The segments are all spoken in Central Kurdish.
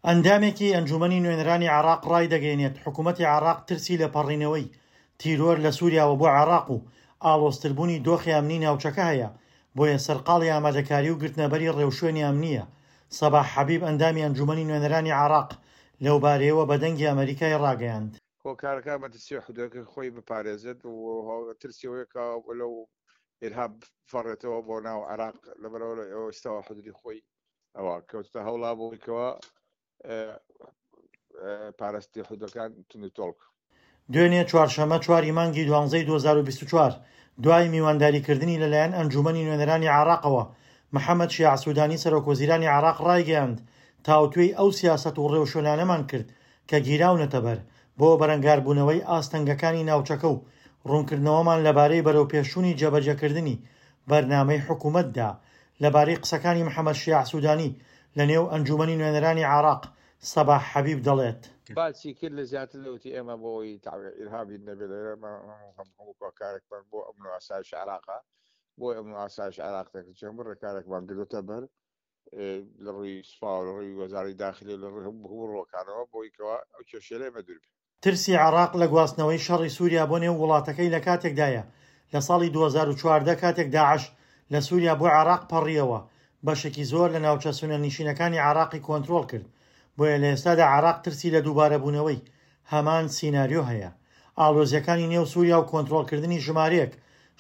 ئەندامێکی ئەنجوومەنی نوێنەرانی عێراق ڕایدەگەیەنێت، حکوومەتی عێراق ترسی لە پەڕینەوەی تیرۆر لە سووریاوە بۆ عێراق و ئاڵۆزتربوونی دۆخی ئەمنی ناوچەکە هەیە، بۆیە سەرقاڵی ئامادەکاری و گرتنەبەری ڕێوشوێنی ئەمنییە. سەباح حەبیب ئەندامی ئەنجوومەنی نوێنەرانی عێراق لەوبارەیەوە بە دەنگی ئەمەریکای ڕاگەیاند. هۆکارەکان مەترسی حدودەکە خۆی بپارێزێت و ترسی ئەوەیە کە لەو ئیرهاب بفەڕێتەوە بۆ ناو عێراق لەبەرەوە لە ئێستاوە حدودی خۆی ئەوە کەوتە هەوڵا بۆیکەوە پارستی حدودەکان تون و تۆڵ. دوێنێ چوارشەممە چواری مانگی دوانزەی 2024 دوای میوانداریکردنی لەلایەن ئەنجوومەنی نوێنەرانی عێراقەوە، محەمەد شیاع سوودانی سەرۆکوەزیرانی عێراق ڕایگەیاند، تاوتوێی ئەو سیاسەت و ڕێوشوێنانەمان کرد کە گیراونەتەبەر بۆ بەرەنگاربوونەوەی ئاستەنگەکانی ناوچەکە و ڕوونکردنەوەمان لەبارەی بەرەوپێشچوونی جێبەجێکردنی بەرنامەی حکومەتدا. لەبارەی قسەکانی محەمەد شیاع سوودانی لەنێو ئەنجوومەنی نوێنەرانی عێراق، سەباح حەبیب دەڵێت. باسی کرد لە زیاتر لەوتی ئێمە بۆ ئەوەی ئیرهابی نەبێت لێرە هەموو کارێکمان بۆ ئەمن و ئاسایش عێراقە بۆ ئەمن و ئاسایش عێراق دەکرد چەند ڕێکارێکمان گرتە بەر لە ڕووی سوپا و لە ڕووی وەزاری داخلی لە ڕووی هەموو ڕووەکانەوە بۆی کەوا ئەو کێشەیە لێمە دوور بێ. ترسی عێراق لە گواستنەوەی شەڕی سووریا بۆ نێو وڵاتەکەی لە کاتێکدایە، لە ساڵی 2014 کاتێک داعش لە سووریا بۆ عێراق پەڕییەوە، بەشێکی زۆر لە ناوچە سوننەنشینەکانی عێراقی کۆنترۆڵ کرد، بۆیە لە ئێستادا عێراق ترسی لە دووبارەبوونەوەی هەمان سیناریۆ هەیە. ئاڵۆزییەکانی نێو سووریا و کۆنترۆڵکردنی ژمارەیەک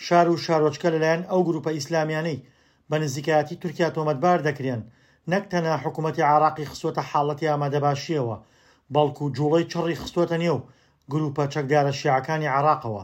شار و شارۆچکە لەلایەن ئەو گرووپە ئیسلامییانەی بە نزیکایەتی تورکیا تۆمەتبار دەکرێن، نەک تەنها حکومەتی عێراقی خستووەتە حاڵەتی ئامادەباشییەوە، بەڵکو جوڵەی چڕی خستووەتە نێو گروپە چەکدارە شیعەکانی عێراقەوە.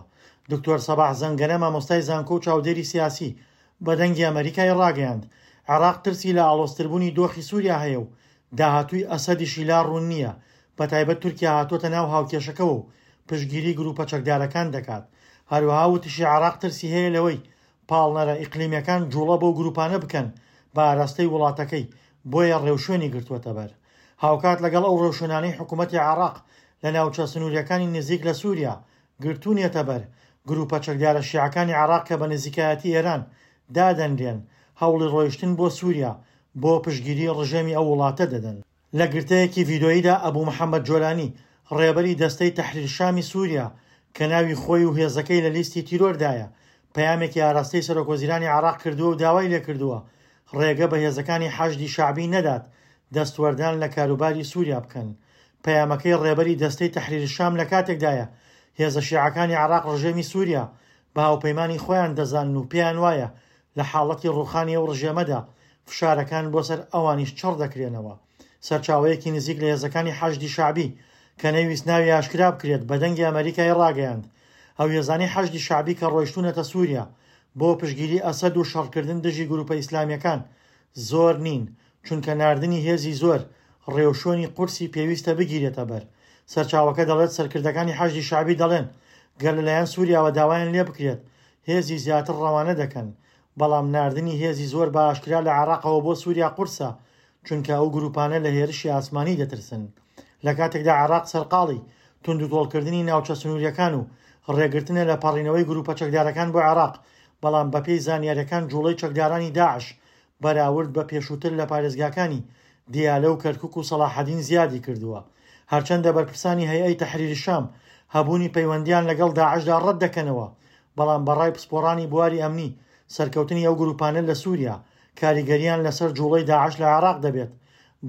دکتۆر سەباح زەنگەنە مامۆستای زانکۆ و چاودێری سیاسی بە دەنگی ئەمەریکای ڕاگەیاند، عێراق ترسی لە ئاڵۆزتربوونی دۆخی سوریا هەیە و داهاتووی ئەسەدیشی لا ڕوون نییە، بەتایبەت تورکیا هاتووەتە ناو هاوکێشەکەوە و پشتگیری گروپە چەکدارەکان دەکات. هەروەها وتیشی عێراق ترسی هەیە لەوەی پاڵنەرە ئیقلیمیەکان جوڵە بەو گروپانە بکەن بە ئاراستەی وڵاتەکەی، بۆیە ڕێوشوێنی گرتووەتەبەر. هاوکات لەگەڵ ئەو ڕێوشوێنانەی حکومەتی عێراق لە ناوچە سنووریەکانی نزیک لە سوریا گرتوونیەتەبەر، گروپە چەکدارە شیعەکانی عێراق کە بە نزیکایەتی ئێران دادەنرێن، هەوڵی ڕۆیشتن بۆ سوریا بۆ پشتگیری ڕژێمی ئەو وڵاتە دەدەن. لە گرتەیەکی ڤیدۆییدا ئەبو محەمەد جۆلانی، ڕێبەری دەستەی تەحریر شامی سووریا کە ناوی خۆی و هێزەکەی لە لیستی تیرۆردایە، پەیامێکی ئاراستەی سەرۆکوەزیرانی عێراق کردووە و داوای لێکردووە ڕێگە بە هێزەکانی حەشدی شەعبی نەدات دەستوەردان لە کاروباری سووریا بکەن. پەیامەکەی ڕێبەری دەستەی تەحریر شام لە کاتێکدایە هێزە شیعەکانی عێراق ڕژێمی سووریا بە هاوپەیمانی خۆیان دەزانن و پێیان وایە لە حاڵەتی ڕووخانی ئەو ڕژێمەدا فشارەکان بۆ سەر ئەوانیش چڕ دەکرێنەوە. سەرچاوەیەکی نزیک لە هێزەکانی حەشدی شەعبی کە نەیویست ناوی ئاشکرا بکرێت بە دەنگی ئەمەریکای ڕاگەیاند ئەو هێزانەی حەشدی شەعبی کە ڕۆیشتوونەتە سووریا بۆ پشتگیری ئەسەد و شەڕکردن دژی گروپە ئیسلامییەکان زۆر نین چونکە ناردنی هێزی زۆر ڕێوشوێنی قورسی پێویستە بگیرێتە بەر. سەرچاوەکە دەڵێت سەرکردەکانی حەشدی شەعبی دەڵێن گەر لەلایەن سووریاوە داوایان لێبکرێت هێزی زیاتر ڕەوانە دەکەن، بەڵام ناردنی هێزی زۆر بە ئاشکرا لە عێراقەوە بۆ سووریا قورسە، چونکە ئەو گرووپانە لە هێرشی ئاسمانی دەترسن. لە کاتێکدا عێراق سەرقاڵی توندوتۆڵکردنی ناوچە سنوورییەکان و ڕێگرتنە لە پەڕینەوەی گرووپە چەکدارەکان بۆ عێراق، بەڵام بەپێی زانیارییەکان جووڵەی چەکدارانی داعش بەراورد بە پێشووتر لە پارێزگاکانی دیالە و کەرکوک و سەڵاحەدین زیادی کردووە. هەرچەندە بەرپرسانی هەیئەی تەحریر شام هەبوونی پەیوەندییان لەگەڵ داعشدا ڕەت دەکەنەوە، بەڵام بە ڕای پسپۆڕانی بواری ئەمنی، سەرکەوتنی ئەو گرووپانە لە سووریا، کاریگەرییان لەسەر جووڵەی داعش لە عێراق دەبێت،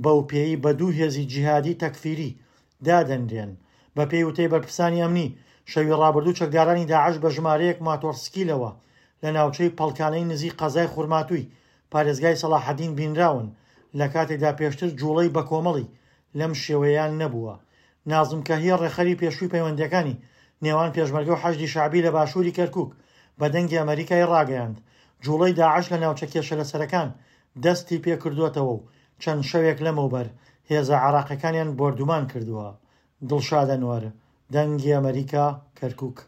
بەوپێیەی بە دوو هێزی جیهادی تەکفیری دادەنرێن. بەپێی وتەی بەرپرسانی ئەمنی، شەوی ڕابردوو چەکدارانی داعش بە ژمارەیەک ماتۆڕسکیلەوە لە ناوچەی پەڵکانەی نزیک قەزای خورماتووی پارێزگای سەڵاحەدین بینراون، لەکاتێکدا پێشتر جوڵەی بەکۆمەڵی لەم شێوەیەیان نەبووە. نازم کەهیە ڕێکخەری پێشووی پەیوەندییەکانی نێوان پێشمەرگە و حەشدی شەعبی لە باشووری کەرکوک بە دەنگی ئەمەریکای ڕاگەیاند، جوڵەی داعش لە ناوچە کێشەلەسەرەکان دەستی پێکردووەتەوە و چەند شەوێک لەمەوبەر هێزە عێراقیەکانیان بۆردومان کردووە. دڵشاد ئەنوەر، دەنگی ئەمەریکا، کەرکوک.